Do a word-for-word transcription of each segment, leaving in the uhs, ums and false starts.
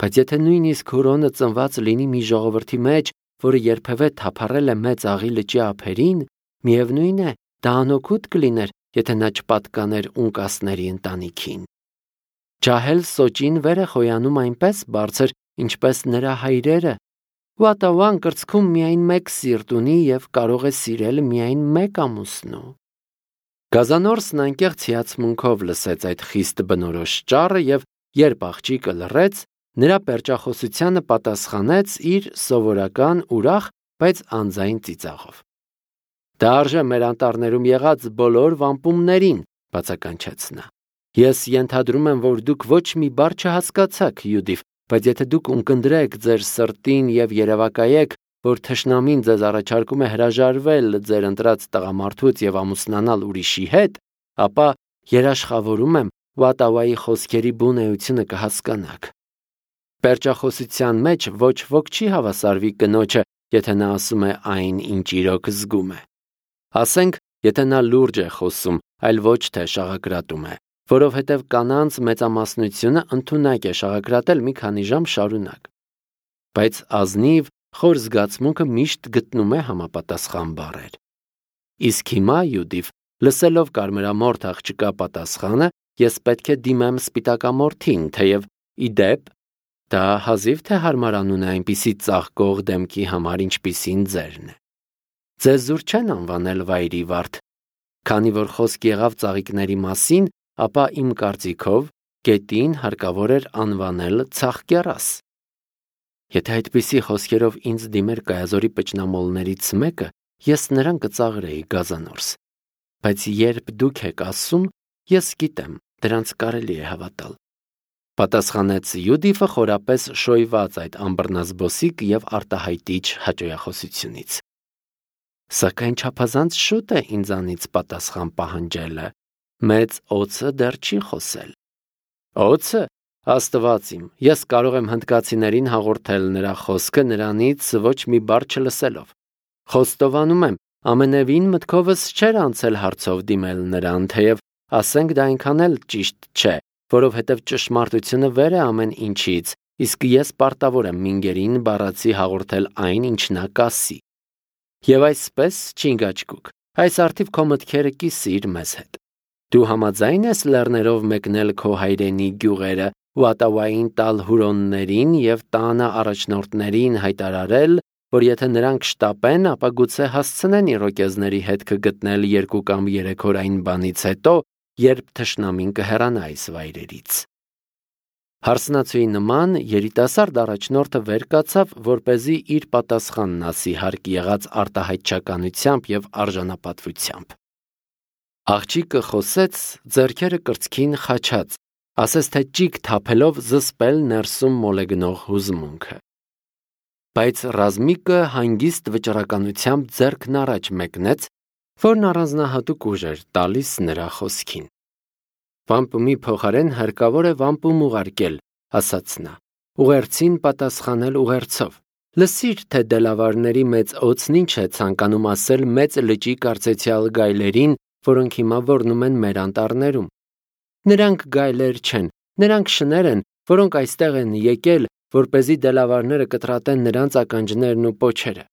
Բայց եթե նույնիսկ Հուրոնը ծնված լինի մի ժողովրդի մեջ, որը երբևէ թափառել է մեծ աղի լճի ափերին, միևնույն է, դա անօգուտ կլիներ, եթե նա չպատկաներ ունկասների ընտանիքին։ Ջահել Սոճին վեր է խոյանում այնպես բարձր, ինչպես նրա հայրերը։ Վատավան կրծքում միայն մեկ սիրտ ունի և կարող է սիրել միայն մեկ ամուսնու։ Գազանորսն անկեղծ հիացմունքով լսեց այդ խիստ բնորոշ ճառը և երբ աղջիկը լռեց, նրա պերճախոսությանը պատասխանեց իր սովորական ուրախ, բայց անձայն ծիծաղով։ Դա արժե մեր անտառներում եղած բոլոր վամպումներին, բացականչեց նա։ Ես ենթադրում եմ, որ դուք ոչ մի բառ չհասկացաք, Յուդիվ, բայց եթե դուք ունկնդրեք ձեր սրտին և երևակայեք, որ թշնամին ձեզ առաջարկում է հրաժարվել ձեր ընտրած տղամարդուց և ամուսնանալ ուրիշի հետ, ապա երաշխավորում եմ, Վատավայի խոսքերի բուն էությունը կհասկանաք։ Պերճախոսության մեջ ոչ ոք չի հավասարվի կնոջը, եթե նա ասում է այն, ինչ իրոք զգում է։ Ասենք, եթե նա լուրջ է խոսում, այլ ոչ թե շաղակրատում է, որովհետև կանանց մեծամասնությունը ընդունակ է շաղակրատել մի քանի ժամ շարունակ։ Բայց ազնիվ, խոր զգացմունքը միշտ գտնում է համապատասխան բառեր։ Իսկ հիմա, Յուդիվ, լսելով կարմրամորթ աղջկա պատասխանը, ես պետք է դիմեմ սպիտակամորթին, թեև ի դեպ, դա հազիվ թե հարմար անուն է այնպիսի ծաղկող դեմքի համար, ինչպիսին ձերն է։ Ձեզ զուր չեն անվանել վայրի վարդ, քանի որ խոսք եղավ ծաղիկների մասին, ապա իմ կարծիքով գետին հարկավոր էր անվանել Ցաղկեռաս։ Եթե այդպիսի խոսքերով ինձ դիմեր կայազորի պճնամոլներից մեկը, ես նրան կծաղրեի Գազանորս։ Բայց երբ դուք եք ասում, ես գիտեմ, դրանց կարելի է հավատալ։ Պատասխանեց Յուդիվը խորապես շոյված այդ ամբռնազբոսիկ և արտահայտիչ հաճոյախոսությունից։ Սակայն չափազանց շուտ է ինձանից պատասխան պահանջելը, մեծ օձը դեռ չի խոսել։ Օձը, Աստված իմ, ես կարող եմ հնդկացիներին հաղորդել նրա խոսքը նրանից ոչ մի բառ չլսելով։ Խոստովանում եմ, ամենևին մտքովս չէր անցել հարցով դիմել նրան, թեև ասենք դա այնքան էլ ճիշտ չէ, որովհետև ճշմարտությունը վեր է ամեն ինչից, իսկ ես պարտավոր եմ մինգերին բառացի հաղորդել այն, ինչ նա կասի։ Եվ այսպես, Չինգաչկուկ, այս արդիվ քո մտքերը կիսիր մեզ հետ։ Դու համաձայն ես լեռներով մեկնել քո հայրենի գյուղերը, Վատավային տալ հուրոններին և տանը առաջնորդներին հայտարարել, որ եթե նրանք շտապեն, ապա գուցե հասցնեն իրոկեզների հետքը գտնել երկու կամ երեք օր այն բանից հետո, երբ թշնամին կհեռանա այս վայրերից։ Հարսնացուի նման երիտասարդ առաջնորդը վեր կացավ, որպեսզի իր պատասխանն ասի հարկ եղած արտահայտչականությամբ և արժանապատվությամբ։ Աղջիկը խոսեց, ձեռքերը կրծքին խաչած, ասես թե ճիգ թափելով զսպել ներսում մոլեգնող հուզմունքը։ Բայց Ռազմիկը հանգիստ վճռականությամբ ձեռքն առաջ մեկնեց, որն առանձնահատուկ ուժ էր տալիս նրա խոսքին։ Վամպումի փոխարեն հարկավոր է վամպում ուղարկել, ասաց նա, ուղերձին պատասխանել ուղերձով։ Լսիր, թե դելավարների մեծ օձն ինչ է ցանկանում ասել մեծ լճի կարծեցյալ գայլերին, որոնք հիմա ոռնում են մեր անտառներում։ Նրանք գայլեր չեն, նրանք շներ են, որոնք այստեղ են եկել, որպեսզի դելավարները կտրատեն նրանց ականջներն ու պոչերը։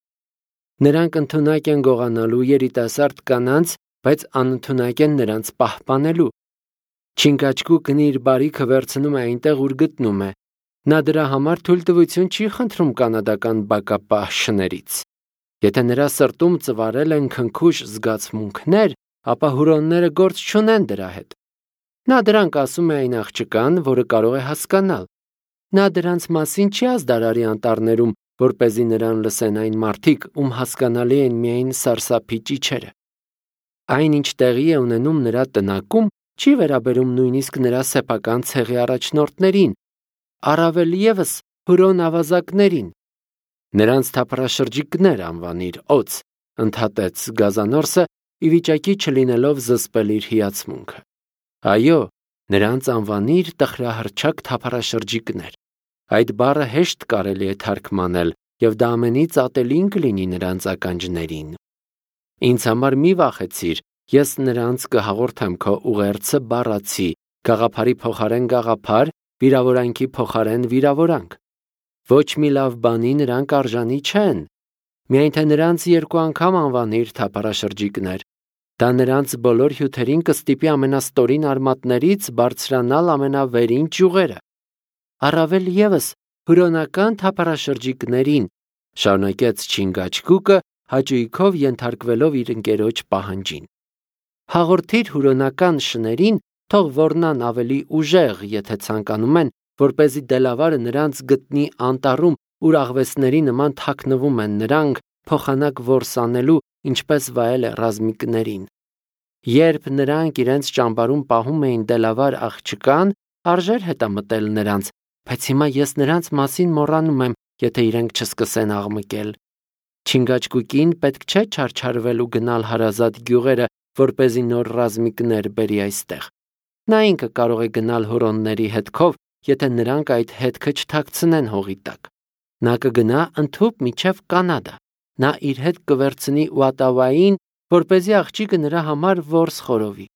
Նրանք ընդունակ են գողանալու երիտասարդ կանանց, բայց անընդունակ են նրանց պահպանելու։ Չինգաչկուկն իր բարիքը վերցնում է այնտեղ, ուր գտնում է։ Նա դրա համար թույլտվություն չի խնդրում կանադական բակապահ շներից։ Եթե նրա սրտում ծվարել են քնքուշ զգացմունքներ, ապա հուրոնները գործ չունեն դրա հետ։ Նա դրանք ասում է այն աղջկան, որը կարող է հասկանալ։ Նա դրանց մասին չի ազդարարի անտառներում, որպեսզի նրան լսեն այն մարդիկ, ում հասկանալի են միայն սարսափի ճիչերը։ Այն, ինչ տեղի է ունենում նրա տնակում, չի վերաբերում նույնիսկ նրա սեփական ցեղի առաջնորդներին, առավել ևս հուրոն ավազակներին։ Նրանց թափառաշրջիկներ անվանիր օձ, ընդհատեց Գազանորսը, ի վիճակի չլինելով զսպել իր հիացմունքը։ Այո, նրանց անվանիր տխրահռչակ թափառաշրջիկներ։ Այդ բառը հեշտ կարելի է թարգմանել, և դա ամենից ատելին կլինի նրանց ականջներին։ Ինձ համար մի վախեցիր, ես նրանց կհաղորդեմ քո ուղերձը բառացի, գաղափարի փոխարեն գաղափար, վիրավորանքի փոխարեն վիրավորանք։ Ոչ մի լավ բանի նրանք արժանի չեն։ Միայն թե նրանց երկու անգամ անվանիր թափառաշրջիկներ, դա նրանց բոլոր հյութերին կստիպի ամենաստորին արմատներից բարձրանալ ամենավերին ճյուղերը։ Առավել ևս հուրոնական թափառաշրջիկներին, շարունակեց Չինգաչգուկը, հաճույքով ենթարկվելով իր ընկերոջ պահանջին։ Հաղորդիր հուրոնական շներին, թող ոռնան ավելի ուժեղ, եթե ցանկանում են, որպեսզի դելավարը նրանց գտնի անտառում, ուր աղվեսների նման թաքնվում են նրանք, փոխանակ որսանելու, ինչպես վայել է ռազմիկներին։ Երբ նրանք իրենց ճամբարում պահում էին դելավար աղջկան, արժեր հետամտել նրանց, բայց հիմա ես նրանց մասին մոռանում եմ, եթե իրենք չսկսեն աղմկել։ Չինգաչգուկին պետք չէ չարչարվել ու գնալ հարազատ գյուղերը, որպեսզի նոր ռազմիկներ բերի այստեղ։ Նա ինքը կարող է գնալ հուրոնների հետքով, եթե նրանք այդ հետքը չթաքցնեն հողի տակ։ Նա կգնա ընդհուպ մինչև Կանադա։ Նա իր հետ կվերցնի Ուատավային, որպեսզի աղջիկը նրա համար որս խորովի։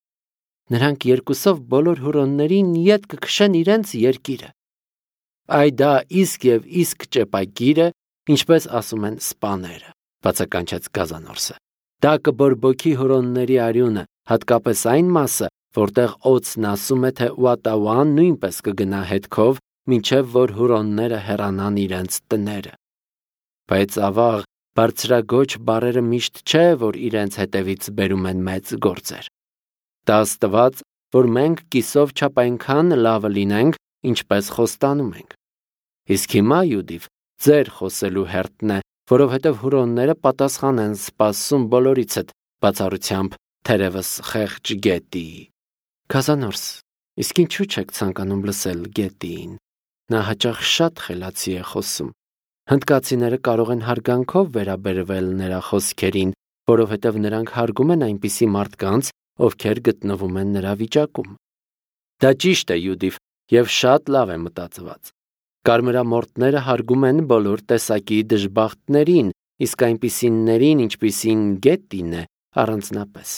Նրանք երկուսով բոլոր հուրոններին ետ կքշեն իրենց երկիրը։ Այ դա իսկ եւ իսկ ճեպագիր է, ինչպես ասում են սպաները, բացականչեց Գազանորսը։ Դա կբորբոքի հուրոնների արյունը, հատկապես այն մասը, որտեղ օծն ասում է, թե Ուատավան նույնպես կգնա հետքով, մինչև որ հուրոնները հեռանան իրենց տները։ Բայց ավաղ, բարձրագոչ բարերը միշտ չէ, որ իրենց հետևից բերում են մեծ գործեր։ Դա աստված, որ մենք կիսով չափ այնքան լավը լինենք, ինչպես խոստանում ենք։ Իսկ հիմա, Յուդիվ, ձեր խոսելու հերթն է, որովհետև հուրոնները պատասխան են սպասում բոլորիցդ, բացառությամբ թերևս խեղճ Գետիի։ Գազանորս, իսկ ինչու չեք ցանկանում լսել Գետիին։ Նա հաճախ շատ խելացի է խոսում։ Հնդկացիները կարող են հարգանքով վերաբերվել նրա խոսքերին, որովհետև նրանք հարգում են այնպիսի մարդկանց, ովքեր գտնվում են նրա վիճակում։ Դա ճիշտ է, Յուդիվ, եւ շատ լավ է մտածված։ Կարմրամորտները հարգում են բոլոր տեսակի դժբախտներին, իսկ այնպիսիներին, ինչպիսին Գետին է, առանձնապես։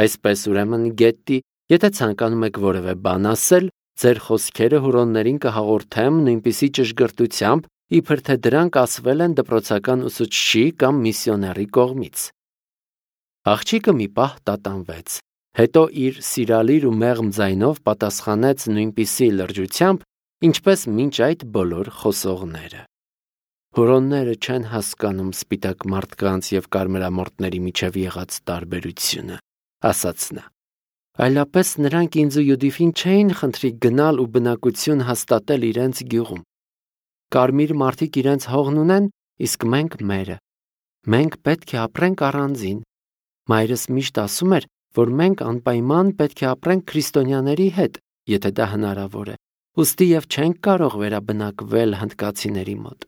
Այսպես ուրեմն Գետի, եթե ցանկանում եք որևէ բան ասել, ձեր խոսքերը հուրոններին կհաղորդեմ նույնպիսի ճշգրտությամբ, իբր թե դրանք ասվել են դպրոցական ուսուցչի կամ միսիոների կողմից։ Աղջիկը մի պահ տատանվեց, հետո իր սիրալիր ու մեղմ ձայնով պատասխանեց նույնպիսի լրջությամբ, ինչպես մինչ այդ բոլոր խոսողները։ Հուրոնները չեն հասկանում սպիտակ մարդկանց եւ կարմրամորտների միջև եղած տարբերությունը, ասաց նա։ Այլապես նրանք ինձ ու Յուդիֆին չէին խնդրի գնալ ու բնակություն հաստատել իրենց գյուղում։ Կարմիր մարդիկ իրենց հողն ունեն, իսկ մենք մերը։ Մենք պետք է ապրենք առանձին։ Մայրս միշտ ասում էր, որ մենք անպայման պետք է ապրենք քրիստոնյաների հետ, եթե դա հնարավոր է։ Ուստի եւ չենք կարող վերաբնակվել հնդկացիների մոտ։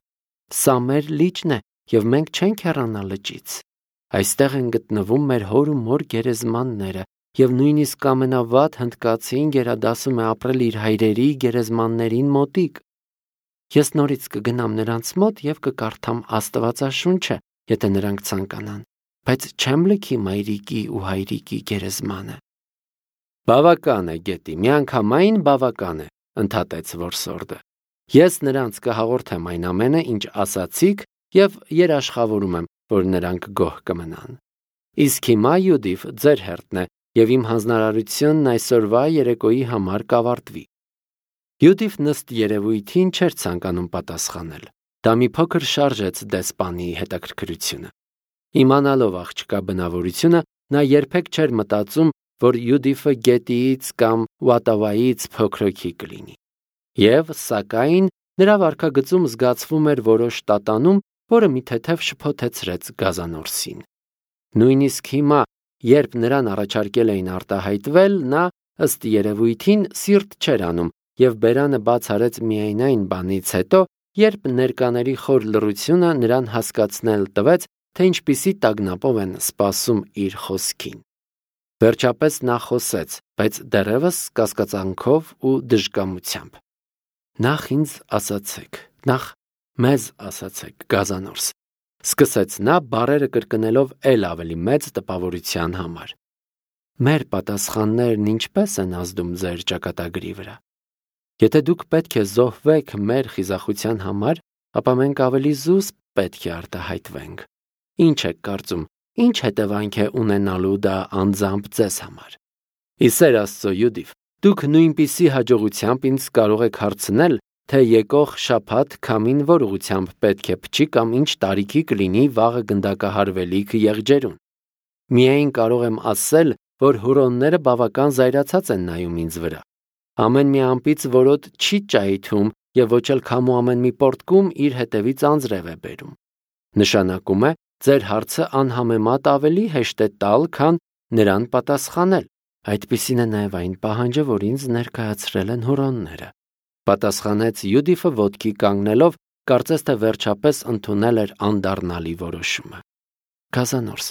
Սա մեր լիճն է, եւ մենք չենք հեռանալ լճից։ Այստեղ են գտնվում մեր հոր ու մոր գերեզմանները, եւ նույնիսկ ամենավատ հնդկացին գերադասում է ապրել իր հայրերի գերեզմաններին մոտիկ։ Ես նորից կգնամ նրանց մոտ եւ կկարդամ Աստվածաշունչը, եթե նրանք ցանկանան, բայց չեմ լքի մայրիկի ու հայրիկի գերեզմանը։ Բավական է, Գետի, միանգամայն բավական է, ընդհատեց որսորդը։ Ես նրանց կհաղորդեմ այն ամենը, ինչ ասացիք, եւ երաշխավորում եմ, որ նրանք գոհ կմնան։ Իսկ հիմա, Յուդիվ, ձեր հերթն է, եւ իմ հանձնարարությունն այսօրվա երեկոյի համար կավարտվի։ Յուդիվն ըստ երևույթին չէր ցանկանում պատասխանել։ Դա մի փոքր շարժեց դեսպանի հետաքրքրությունը։ Իմանալով աղջկա բնավորությունը, նա երբեք չէր մտածում, որ Յուդիֆը Գետիից կամ Ուատավայից փոքրոքի կլինի։ Եվ, սակայն, նրա վարքագծում զգացվում էր որոշ տատանում, որը մի թեթև շփոթեցրեց Գազանորսին։ Նույնիսկ հիմա, երբ նրան առաջարկել էին արտահայտվել, նա, ըստ երևույթին, սիրտ չէր անում եւ բերանը բաց արեց միայն այն բանից հետո, երբ ներկաների խոր լռությունը նրան հասկացնել տվեց, թե ինչպիսի տագնապով են սպասում իր խոսքին։ Վերջապես նա խոսեց, բայց դեռևս կասկածանքով ու դժկամությամբ։ Նախ ինձ ասացեք, նախ մեզ ասացեք, Գազանորս, սկսեց նա բառերը կրկնելով էլ ավելի մեծ տպավորության համար։ Մեր պատասխաններն ինչպես են ազդում ձեր ճակատագրի վրա։ Եթե դուք պետք է զոհվեք մեր խիզախության համար, ապա մենք ավելի զուսպ պետք է արտահայտվենք։ Ինչ եք կարծում, ինչ հետևանք է ունենալու դա անձամբ ձեզ համար։ Ի սեր Աստծո, Յուդիվ, դուք նույնպիսի հաջողությամբ ինձ կարող եք հարցնել, թե եկող շաբաթ քամին որ ուղղությամբ պետք է փչի կամ ինչ տարիքի կլինի վաղը գնդակահարվելիք եղջերուն։ Միայն կարող եմ ասել, որ հուրոնները բավական զայրացած են նայում ինձ վրա։ Ամեն մի ամպից որոտ չի ճայթում եւ ոչ էլ քամու ամեն մի պորտկում իր հետևից անձրև է բերում։ Նշանակում է, ձեր հարցը անհամեմատ ավելի հեշտ է տալ, քան նրան պատասխանել։ Այդպիսին է նաև այն պահանջը, որ ինձ ներկայացրել են հուրոնները։ Պատասխանեց Յուդիֆը ոտքի կանգնելով, կարծես թե վերջապես ընդունել էր անդառնալի որոշումը։ Գազանորս,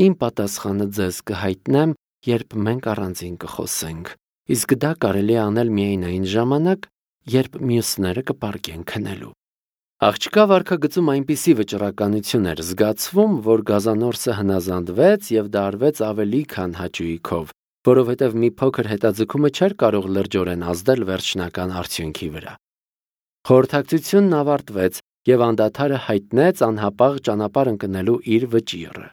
իմ պատասխանը ձեզ կհայտնեմ, երբ մենք առանձին կխոսենք, իսկ դա կարելի է անել միայն այն ժամանակ, երբ մյուսները կպարկեն քնելու։ Աղջկա վարքագծում այնպիսի վճռականություն էր զգացվում, որ Գազանորսը հնազանդվեց եւ դա արվեց ավելի քան հաճույքով, որովհետև մի փոքր հետաձգումը չէր կարող լրջորեն ազդել վերջնական արդյունքի վրա։ Խորհրդակցությունն ավարտվեց եւ անդադարը հայտնեց անհապաղ ճանապարհ ընկնելու իր վճիռը։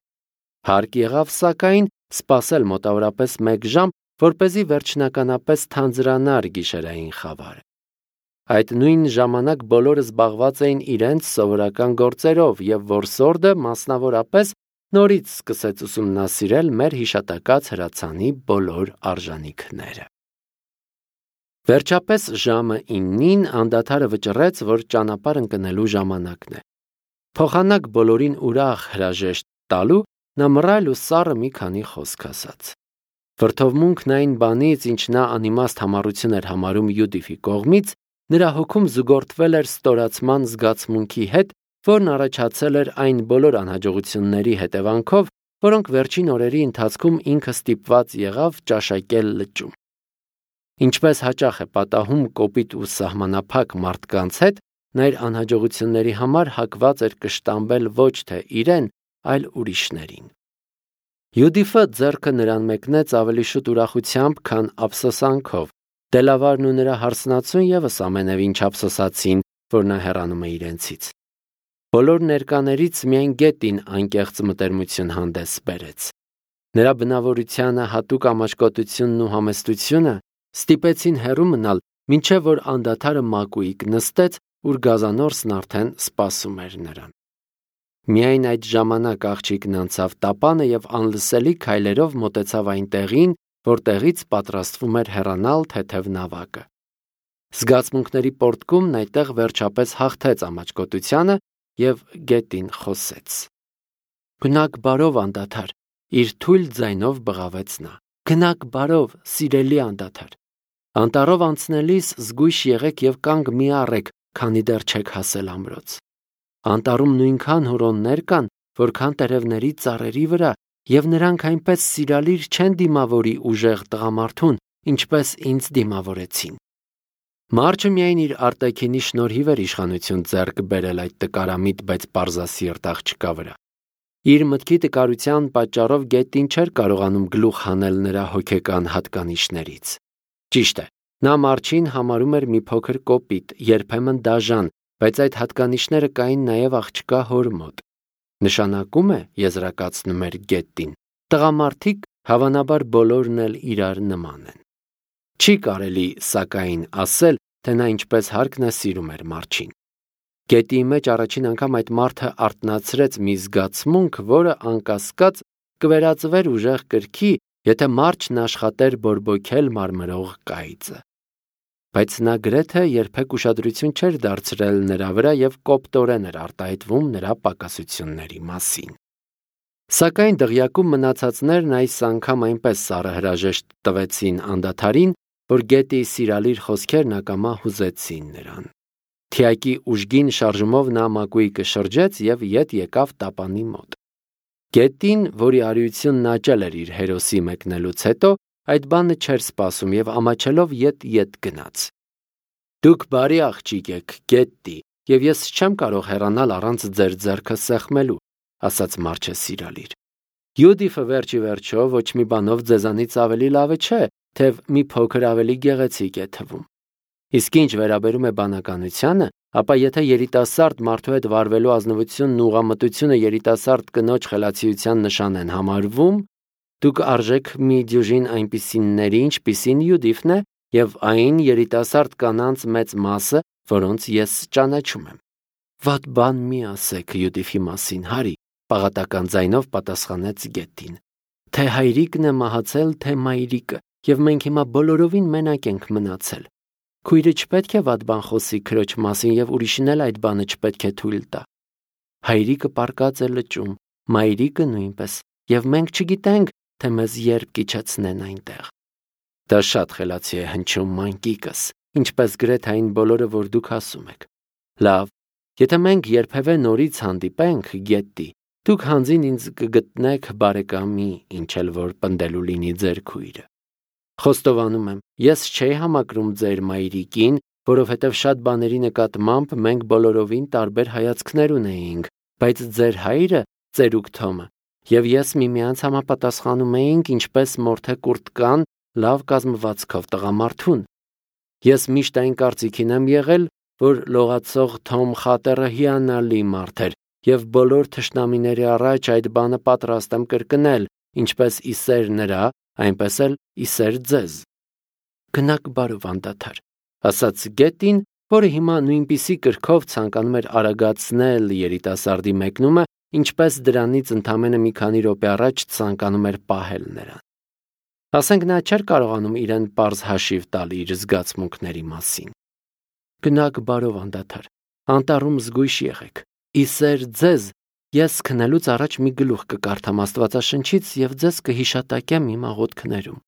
Հարկ եղավ սակայն սպասել մոտավորապես մեկ ժամ, որպեսզի վերջնականապես թանձրանար գիշերային խավարը։ Այդ նույն ժամանակ բոլորը զբաղված էին իրենց սովորական գործերով եւ որսորդը մասնավորապես նորից սկսեց ուսումնասիրել մեր հիշատակած հրացանի բոլոր արժանինքները։ Վերջապես ժամը իննին անդադարը վճռեց, որ ճանապարհ ընկնելու ժամանակն է։ Փոխանակ բոլորին ուրախ հրաժեշտ տալու նա մռայլ ու սառը մի քանի խոսք ասաց։ Վրդովմունքն այն բանից, ինչ նա անիմաստ համառություն էր համարում Յուդիֆի կողմից, նրա հոգում զուգորդվել էր ստորացման զգացմունքի հետ, որն առաջացել էր այն բոլոր անհաջողությունների հետևանքով, որոնք վերջին օրերի ընթացքում ինքը ստիպված եղավ ճաշակել լճում։ Ինչպես հաճախ է պատահում կոպիտ ու սահմանափակ մարդկանց հետ, նա իր անհաջողությունների համար հակված էր կշտամբել ոչ թե իրեն, այլ ուրիշներին։ Յուդիֆը ձեռքը նրան մեկնեց ավելի շուտ ուրախությամբ, քան ափսոսանքով։ Դելավարն ու նրա հարսնացուն ևս ամենևին չափսոսացին, որ նա հեռանում է իրենցից։ Բոլոր ներկաներից միայն Գետին անկեղծ մտերմություն հանդես բերեց։ Նրա բնավորությանը հատուկ ամաչկոտությունն ու համեստությունը ստիպեցին հեռու մնալ, մինչև որ անդադարը մակույկ նստեց, ուր Գազանորսն արդեն սպասում էր նրան։ Միայն այդ ժամանակ աղջիկն անցավ տապանը եւ անլսելի քայլերով մոտեցավ այն տեղին, որտեղից պատրաստվում էր հեռանալ թեթև նավակը։ Զգացմունքների պորտկումն այդտեղ վերջապես հաղթեց ամաչկոտությանը եւ Գետին խոսեց։ Գնաք բարով անդադար, իր թույլ ձայնով բղավեց նա։ Գնաք բարով, սիրելի անդադար։ Անտառով անցնելիս զգույշ եղեք եւ կանգ մի առեք, քանի դեռ չեք հասել ամրոց։ Անտառում նույնքան հուրոններ կան, որքան տերևների ծառերի վրա, եւ նրանք այնպես սիրալիր չեն դիմավորի ուժեղ տղամարդուն, ինչպես ինձ դիմավորեցին։ Մարչը միայն իր արտաքինի շնորհիվ էր իշխանություն ձեռք բերել այդ տկարամիտ, բայց պարզասիրտ աղջկա վրա։ Իր մտքի տկարության պատճառով Գետին չէր կարողանում գլուխ հանել նրա հոգեկան հատկանիշներից։ Ճիշտ է, նա Մարչին համարում էր մի փոքր կոպիտ, երբեմն դաժան, բայց այդ հատկանիշները կային նաև աղջկա հոր մոտ։ Նշանակում է, եզրակացնում էր Գետին, տղամարդիկ հավանաբար բոլորն էլ իրար նման են։ Չի կարելի, սակայն, ասել, թե նա ինչպես հարկն է սիրում էր Մարչին։ Գետի մեջ առաջին անգամ այդ մարդը արթնացրեց մի զգացմունք, որը անկասկած կվերածվեր ուժեղ կրքի, եթե Մարչն աշխատեր բորբոքել մարմրող կայծը։ Բայց նա գրեթե երբեք ուշադրություն չէր դարձրել նրա վրա եւ կոպտորեն էր արտահայտվում նրա պակասությունների մասին։ Սակայն դղյակում մնացածներն այս անգամ այնպես սառը հրաժեշտ տվեցին անդադարին, որ Գետի սիրալիր խոսքերն ակամա հուզեցին նրան։ Թիակի ուժգին շարժումով նա մակույկը շրջեց եւ ետ եկավ տապանի մոտ։ Գետին, որի արիությունն աճել էր իր հերոսի մեկնելուց հետո, այդ բանը չէր սպասում եւ ամաչելով ետ-ետ գնաց։ Դուք բարի աղջիկ եք, Գետի, եւ ես չեմ կարող հեռանալ առանց ձեր ձեռքը սեղմելու, ասաց Մարչը սիրալիր։ Յուդիֆը վերջի վերջո ոչ մի բանով ձեզանից ավելի լավը չէ, թեև մի փոքր ավելի գեղեցիկ է թվում։ Իսկ ինչ վերաբերում է բանականությանը, ապա եթե երիտասարդ մարդու հետ վարվելու ազնվությունն ու ուղղամտությունը երիտասարդ կնոջ խելացիության նշան են համարվում, դուք արժեք մի դյուժին այնպիսիների, ինչպիսին Յուդիֆն է, եւ այն երիտասարդ կանանց մեծ մասը, որոնց ես ճանաչում եմ։ Վատ բան մի ասեք Յուդիֆի մասին, Հարի, պաղատական ձայնով պատասխանեց Գետին։ Թե հայրիկն է մահացել, թե մայրիկը, եւ մենք հիմա բոլորովին մենակ ենք մնացել։ Քույրը չպետք է վատ բան խոսի քրոջ մասին եւ ուրիշն էլ այդ բանը չպետք է թույլ տա։ Հայրիկը պարկած է լճում, մայրիկը նույնպես, եւ մենք չգիտենք, թե մեզ երբ կիջեցնեն այնտեղ։ Դա շատ խելացի է հնչում, մանկիկս, ինչպես գրեթե այն բոլորը, որ դուք ասում եք։ Լավ, եթե մենք երբևէ նորից հանդիպենք, Գետի, դուք հանձին ինձ կգտնեք բարեկամի, ինչ էլ որ պնդելու լինի ձեր քույրը։ Խոստովանում եմ, ես չէի համակրում ձեր մայրիկին, որովհետև շատ բաների նկատմամբ մենք բոլորովին տարբեր հայացքներ ունեինք, բայց ձեր հայրը, ծերուկ Թոմը, եւ ես միմյանց համապատասխանում էինք ինչպես մորթե կուրտկան լավ կազմվածքով տղամարդուն։ Ես միշտ այն կարծիքին եմ եղել, որ լողացող Թոմ Խատերը հիանալի մարդ էր, եւ բոլոր թշնամիների առաջ այդ բանը պատրաստ եմ կրկնել, ինչպես իսեր նրա, այնպես էլ իսեր ձեզ։ Գնաք բարով անդադար, ասաց Գետին, որը հիմա նույնպիսի կրքով ցանկանում էր արագացնել երիտասարդի մեկնումը, ինչպես դրանից ընդամենը մի քանի րոպե առաջ ցանկանում էր պահել նրան։ Ասենք նա չէր կարողանում իրեն պարզ հաշիվ տալ իր զգացմունքների մասին։ Գնաք բարով անդադար, անտառում զգույշ եղեք։ Իսեր ձեզ, ես քնելուց առաջ մի գլուխ կկարդամ Աստվածաշնչից եւ ձեզ կհիշատակեմ իմ աղոթքներում։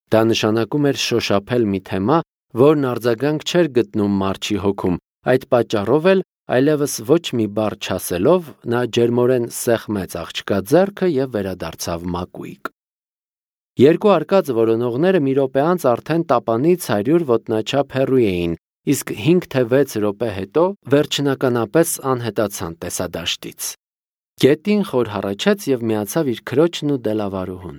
Դա նշանակում էր շոշափել մի թեմա, որն արձագանք չէր գտնում մարչի հոգում, այդ պատճառով էլ այլևս ոչ մի բառ չասելով նա ջերմորեն սեղմեց աղջկա ձեռքը եւ վերադարձավ մակույկ։ Երկու արկած որոնողները մի րոպե անց արդեն տապանից հարյուր ոտնաչափ հեռու էին, իսկ հինգ թե վեց րոպե հետո վերջնականապես անհետացան տեսադաշտից։ Գետին խոր հառաչեց եւ միացավ իր քրոջն ու դելավարուհուն։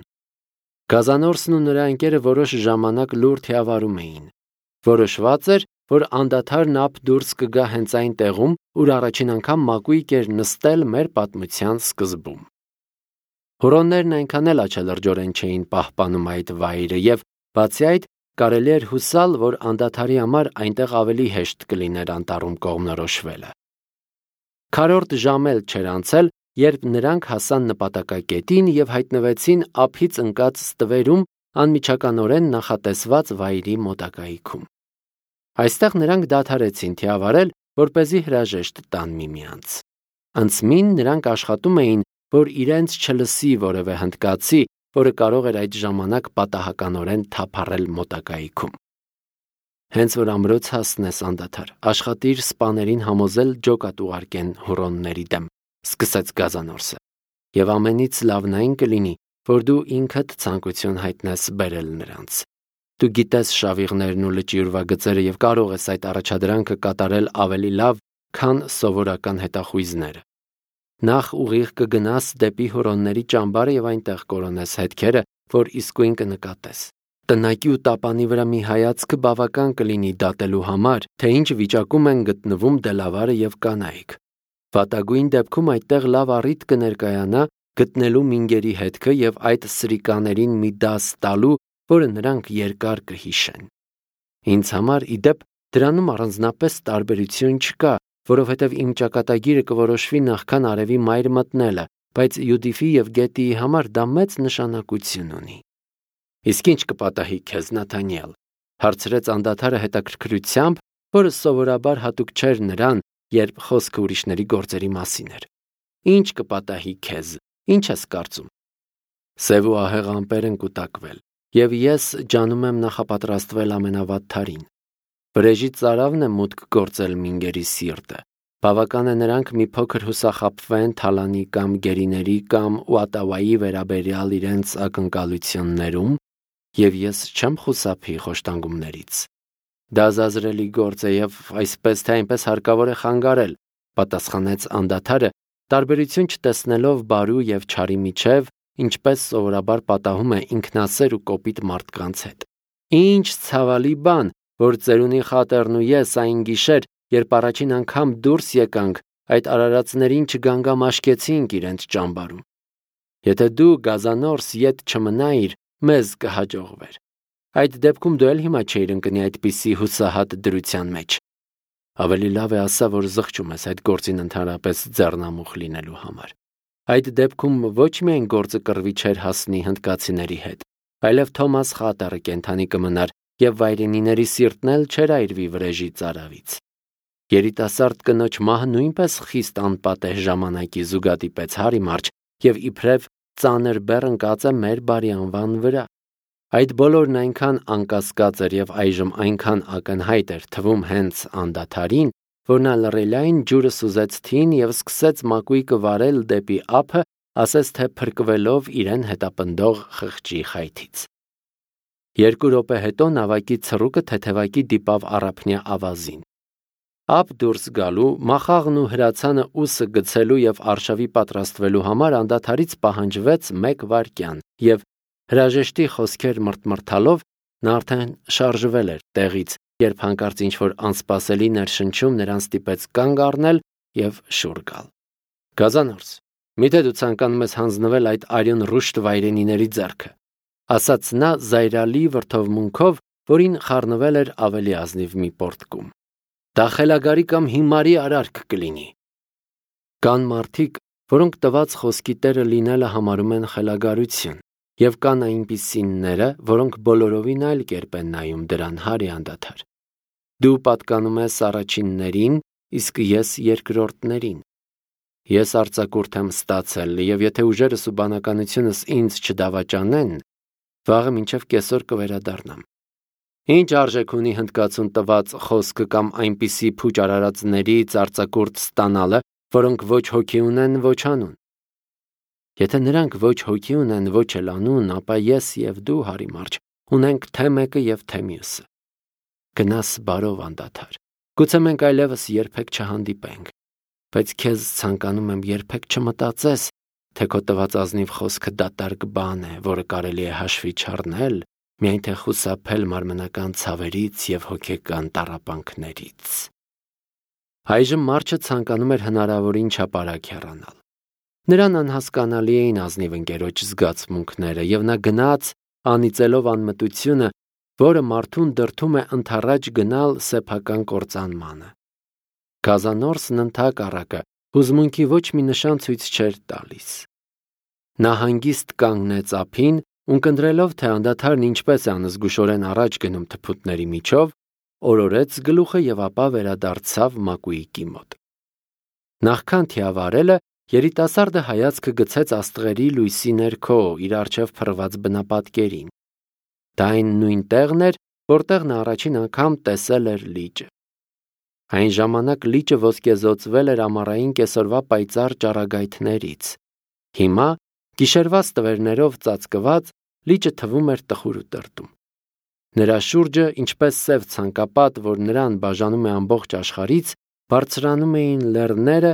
Գազանորսն ու նրա ընկերը որոշ ժամանակ լուր թիավարում էին։ Որոշված էր, որ անդադար նապ դուրս կգա հենց այն տեղում, ուր առաջին անգամ մակույկ էր նստել մեր պատմության սկզբում։ Հուրոններն այնքան էլ աչալրջորեն չէին պահպանում այդ վայրը եւ բացի այդ կարելի էր հուսալ, որ անդադարի համար այնտեղ ավելի հեշտ կլիներ անտառում կողմնորոշվելը։ Քառորդ ժամ էլ չէր անցել, երբ նրանք հասան նպատակակետին եւ հայտնվեցին ափից ընկած ստվերում անմիջականորեն նախատեսված վայրի մոտակայքում։ Այստեղ նրանք դադարեցին թիավարել, որպեսզի հրաժեշտ տան միմյանց։ Անցմին նրանք աշխատում էին, որ իրենց չլսի որևէ հնդկացի, որը կարող էր այդ ժամանակ պատահականորեն թափառել մոտակայքում։ Հենց որ ամրոց հասնես անդադար, աշխատիր սպաներին համոզել ջոկատ ուղարկեն հուրոնների դեմ, սկսեց Գազանորսը, եւ ամենից լավն այն կլինի, որ դու ինքդ ցանկություն հայտնես բերել նրանց։ Դու գիտես շավիղներն ու լճի ուրվագծերը եւ կարող ես այդ առաջադրանքը կատարել ավելի լավ, քան սովորական հետախույզները։ Նախ ուղիղ կգնաս դեպի հուրոնների ճամբարը եւ այնտեղ կորոնես հետքերը, որ իսկույն կնկատես։ Տնակի ու տապանի վրա մի հայացքը բավական կլինի դատելու համար, թե ինչ վիճակում են գտնվում դելավարը եւ կանայք։ Վատագույն դեպքում այդտեղ լավ առիթ կներկայանա գտնելու մինգերի հետքը եւ այդ սրիկաներին մի դաս տալու, որը նրանք երկար կհիշեն։ Ինձ համար իդեպ դրանում առանձնապես տարբերություն չկա, որովհետև իմ ճակատագիրը կորոշվի նախքան արևի մայր մտնելը, բայց Յուդիֆի եւ Գետիի համար դա մեծ նշանակություն ունի։ Իսկ ինչ կպատահի քեզ, Նաթանիել, հարցրեց անդադարը հետաքրքրությամբ, որը սովորաբար հատուկ չէր նրան, երբ խոսքը ուրիշների գործերի մասին էր։ Ինչ կպատահի քեզ, ինչ ես կարծում։ Սև ու ահեղ ամպեր են կուտակվել, եւ ես ջանում եմ նախապատրաստվել ամենավատթարին։ Վրեժի ծարավն է մուտք գործել մինգերի սիրտը։ Բավական է նրանք մի փոքր հուսախաբվեն թալանի կամ գերիների կամ ուատավայի վերաբերյալ իրենց ակնկալություններում, եւ ես չեմ խուսափի խոշտանգումներից։ Դա զազրելի գործ է եւ այսպես թե այնպես հարկավոր է խանգարել, պատասխանեց անդադարը, տարբերություն չտեսնելով բարու եւ չարի միջև, ինչպես սովորաբար պատահում է ինքնասեր ու կոպիտ մարդկանց հետ։ Ինչ ցավալի բան, որ ծերունի խատերն ու ես այն գիշեր երբ առաջին անգամ դուրս եկանք, այդ արարածներին չգանգամաշկեցինք իրենց ճամբարում։ Եթե դու գազանորս ետ չմնայիր, մեզ կհաջողվեր։ Այդ դեպքում դու էլ հիմա չէիր ընկնի այդպիսի հուսահատ դրության մեջ։ Ավելի լավ է ասա, որ զղջում ես այդ գործին ընդհանրապես ձեռնամուխ լինելու համար։ Այդ դեպքում ոչ միայն գործը կռվի չէր հասնի հնդկացիների հետ, այլև Թոմաս խատերը կենդանի կմնար և վայրենիների սիրտն էլ չէր այրվի վրեժի ծարավից։ Երիտասարդ կնոջ մահը նույնպես խիստ անպատեհ ժամանակի զուգադիպեց Հարի Մարջ և իբրև ծանր բեռ ընկած է մեր բարի անվան վրա։ Այդ բոլորն այնքան անկասկած էր և այժմ այնքան ակնհայտ էր թվում հենց անդադարին, որ նա լռելային ջուրը սուզեց թին և սկսեց մակույկը վարել դեպի ափը, ասես թե փրկվելով իրեն հետապնդող խղճի խայթից։ Երկու րոպե հետո նավակի ցռուկը թեթևակի դիպավ առափնյա ավազին։ Ափ դուրս գալու, մախաղն ու հրացանը ուսը գցելու և արշավի պատրաստվելու համար անդադարից պահանջվեց մեկ վայրկյան, և հրաժեշտի խոսքեր մռթմռթալով նա արդեն շարժվել էր տեղից, երբ հանկարծ ինչ-որ անսպասելի ներշնչում նրան ստիպեց կանգ առնել և շուռ գալ։ «Գազանորս, միթե դու ցանկանում ես հանձնվել այդ արյուն ռուշտ վայրենիների ձեռքը», ասաց նա զայրալի վրդովմունքով, որին խառնվել էր ավելի ազնիվ մի պոռթկում։ «Դա խելագարի կամ հիմարի արարք կլինի»։ Կան մարդիկ, որոնք տված խոսքի տերը լինելը համարում են խելագարություն, և կան այնպիսիները, որոնք բոլորովին այլ կերպ են նայում դրան Հարի անդադար։ Դու պատկանում ես առաջիններին, իսկ ես երկրորդներին։ Ես արձակուրդ եմ ստացել, և եթե ուժերս ու բանականությունս ինձ չդավաճանեն, վաղը մինչև կեսօր կվերադառնամ։ Ինչ արժեք ունի հնդկացուն տված խոսքը կամ այնպիսի փուչ արարածներից արձակուրդ ստանալը, որոնք ոչ հոգի ունեն, ոչ անուն։ Եթե նրանք ոչ հոգի ունեն, ոչ էլ անուն, ապա ես և դու, Հարի Մարջ, ունենք թե մեկը և թե մյուսը։ Գնաս բարով անդադար, գուցե մենք այլևս երբեք չհանդիպենք, բայց քեզ ցանկանում եմ երբեք չմտածես, թե քո տված ազնիվ խոսքը դատարկ բան է, որը կարելի է հաշվի չառնել, միայն թե խուսափել մարմնական ցավերից և հոգեկան տառապանքներից։ Այժմ Մարջը ցանկանում էր հնարավորին չափարակ հեռանալ։ Նրան անհասկանալի էին ազնիվ ընկերոջ զգացմունքները, և նա գնաց, անիծելով անմտությունը, որը մարդուն դրդում է ընդառաջ գնալ սեփական կործանմանը։ Գազանորսն ընդհակառակը հուզմունքի ոչ մի նշան ցույց չէր տալիս։ Նա հանգիստ կանգնեց ափին, ունկնդրելով, թե անդադարն ինչպես է անզգուշորեն առաջ գնում թփուտների միջով, օրորեց գլուխը և ապա վերադարձավ մակույկի մոտ։ Նախքան թիավարելը, երիտասարդը հայացքը գցեց աստղերի լույսի ներքո իր առջև փռված բնապատկերին։ Դա այն նույն տեղն էր, որտեղ նա առաջին անգամ տեսել էր լիճը։ Այն ժամանակ լիճը ոսկեզօծվել էր ամառային կեսօրվա պայծառ ճառագայթներից։ Հիմա, գիշերվա ստվերներով ծածկված, լիճը թվում էր տխուր ու տրտում։ Նրա շուրջը, ինչպես սև ցանկապատ, որ նրան բաժանում է ամբողջ աշխարհից, բարձրանում էին լեռները,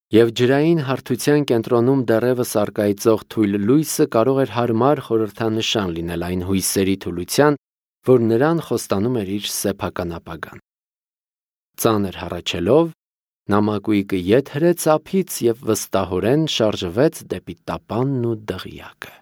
և ջրային հարթության կենտրոնում դեռևս առկայծող թույլ լույսը կարող էր հարմար խորհրդանշան լինել այն հույսերի թուլության, որ նրան խոստանում էր իր սեփական ապագան։ Ծանր հառաչելով, նա մակույկը ետ հրեց ափից և վստահորեն շարժվեց դեպի տապանն ու դղյակը։